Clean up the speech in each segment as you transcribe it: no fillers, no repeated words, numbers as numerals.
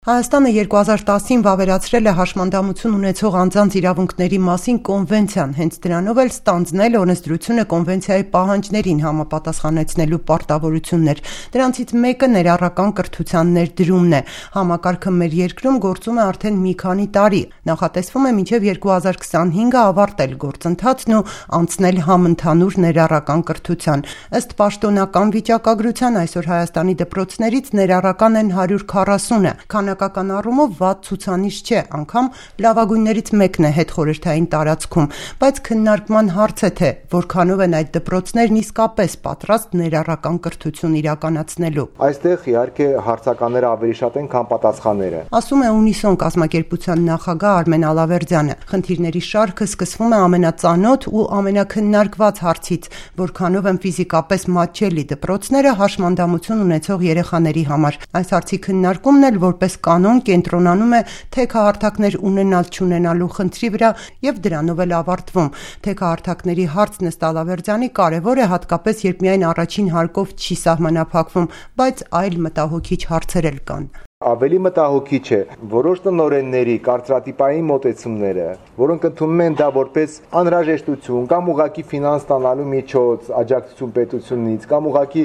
Հայաստանը 2010-ին վավերացրել է հաշմանդամություն ունեցող անձանց իրավունքների մասին կոնվենցիան, հենց դրանով էլ ստանձնել օրենսդրությունը կոնվենցիայի պահանջներին համապատասխանեցնելու պարտավորություններ։ Դրանցից մեկը ներառական կրթության ներդրումն է։ Համակարգը մեր երկրում գործում է արդեն մի քանի տարի։ Նախատեսվում է մինչև 2025-ը ավարտել գործընթացն ու անցնել համընդհանուր ներառական կրթության։ Ըստ պաշտոնական վիճակագրության այսօր Հայաստանի դպրոցներից ներառական են 140-ը։ Քանակական առումով վատ ցուցանիշ չէ, անգամ լավագույններից մեկն է հետխորհրդային տարածքում, բայց քննարկման հարց է թե որքանով են այդ դպրոցներն իսկապես պատրաստ ներառական կրթություն իրականացնելու։ Այստեղ իհարկե հարցականները ավելի շատ են, քան պատասխանները, ասում է Ունիսոն կազմակերպության նախագահ Արմեն Ալավերդյանը։ Խնդիրների շարքը սկսվում է ամենածանոթ ու ամենակննարկված հարցից, որքանով են ֆիզիկապես մատչելի դպրոցները հաշմանդամություն ունեցող երեխաների համար։ Այս հարցի քննարկումն էլ որպես կանոն կենտրոնանում է թեքահարթակներ ունենալ-չունենալու խնդրի վրա եւ դրանով էլ ավարտվում։ Թեքահարթակների հարցն ըստ Ալավերդյանի կարեւոր է հատկապես երբ միայն առաջին հարկով չի սահմանափակվում, բայց այլ մտահոգիչ հարցեր էլ կան։ Ավելի մտահոգիչ է որոշ տնօրենների կարծրատիպային մոտեցումները, որոնք ընդունում են դա որպես անհրաժեշտություն կամ ուղղակի ֆինանս ստանալու միջոց աջակցություն պետությունից կամ ուղղակի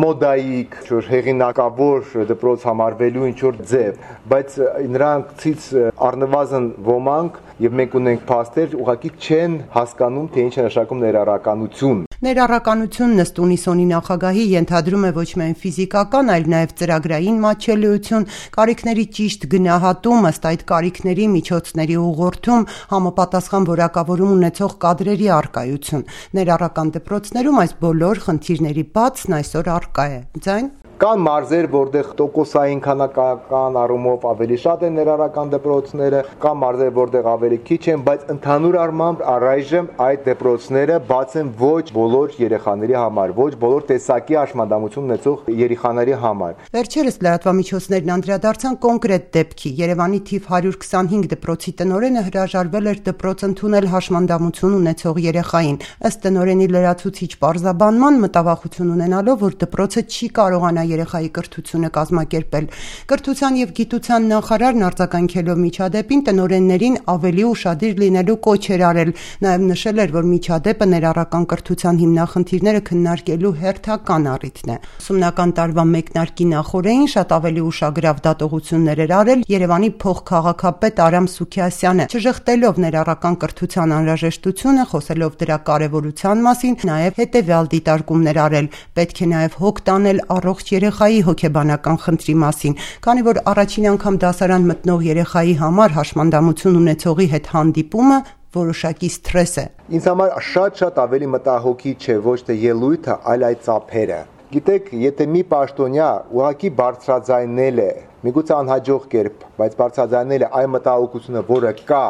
մոդայիկ, հեղինակավոր դպրոց համարվելու ինչ-որ ձև, բայց նրանցից առնվազն ոմանք եւ մենք ունենք փաստեր, ուղղակի չեն հասկանում, թե ինչ է նշանակում ներառականություն։ Ներառականությունն ըստ Ունիսոնի նախագահի ենթադրում է ոչ միայն ֆիզիկական, այլ նաև ծրագրային մատչելիություն, կարիքների ճիշտ գնահատում, ըստ այդ կարիքների միջոցների ուղղորդում, համապատասխան որակավորում ունեցող կադրերի առկայություն։ Ներառական դպրոցներում այս բոլոր խնդիրների բացն այսօր առկա է։ Ձայն Կան մարզեր, որտեղ տոկոսային քանակական առումով ավելի շատ են ներառական դպրոցները, կան մարզեր, որտեղ ավելի քիչ են, բայց ընդհանուր առմամբ առայժմ այդ դպրոցները բաց են ոչ բոլոր երեխաների համար, ոչ բոլոր տեսակի հաշմանդամություն ունեցող երեխաների համար։ Վերջերս լրատվամիջոցներն անդրադարձան կոնկրետ դեպքի։ Երևանի թիվ 125 դպրոցի տնօրենը հրաժարվել էր դպրոց ընդունել հաշմանդամություն ունեցող երեխային։ Ըստ տնօրենի լրացուցիչ պարզաբանման մտավախություն ունենալով, որ դպրոցը չի կարողանա երեխայի կրթությունը կազմակերպել։ Կրթության եւ գիտության նախարարն արձագանքելով միջադեպին տնօրեններին ավելի ուշադիր լինելու կոչ էր արել, նաեւ նշել էր, որ միջադեպը ներառական կրթության հիմնախնդիրները քննարկելու հերթական առիթն է։ Ուսումնական տարվա մեկնարկի նախօրեին շատ ավելի ուշագրավ դատողություններ էր արել Երևանի փոխքաղաքապետ Արամ Սուքիասյանը, չժխտելով ներառական կրթության անհրաժեշտությունը, խոսելով դրա կարևորության մասին, նաեւ հետեւյալ դիտարկումներ արել. պետք է նաեւ հոգ տանել առողջ երեխայի հոգեբանական խնդրի մասին, քանի որ առաջին անգամ դասարան մտնող երեխայի համար հաշմանդամություն ունեցողի հետ հանդիպումը որոշակի սթրես է։ Ինձ համար շատ ավելի մտահոգիչ է ոչ թե ելույթը, այլ այդ ծափերը։ Գիտեք, եթե մի պաշտոնյա ուղղակի բարձրաձայնել է, միգուցե անհաջող կերպ, բայց բարձրաձայնել է այն մտահոգությունը, որը կա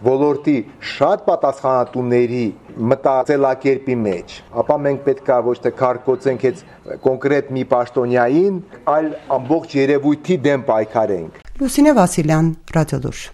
ոլորտի շատ պատասխանատուների մտածելակերպի մեջ, ապա մենք պետք է ոչ թե քարկոծենք այդ կոնկրետ մի պաշտոնյային, այլ ամբողջ երևույթի դեմ պայքարենք։ Լուսինե Վասիլյան, Ռադիոլուր։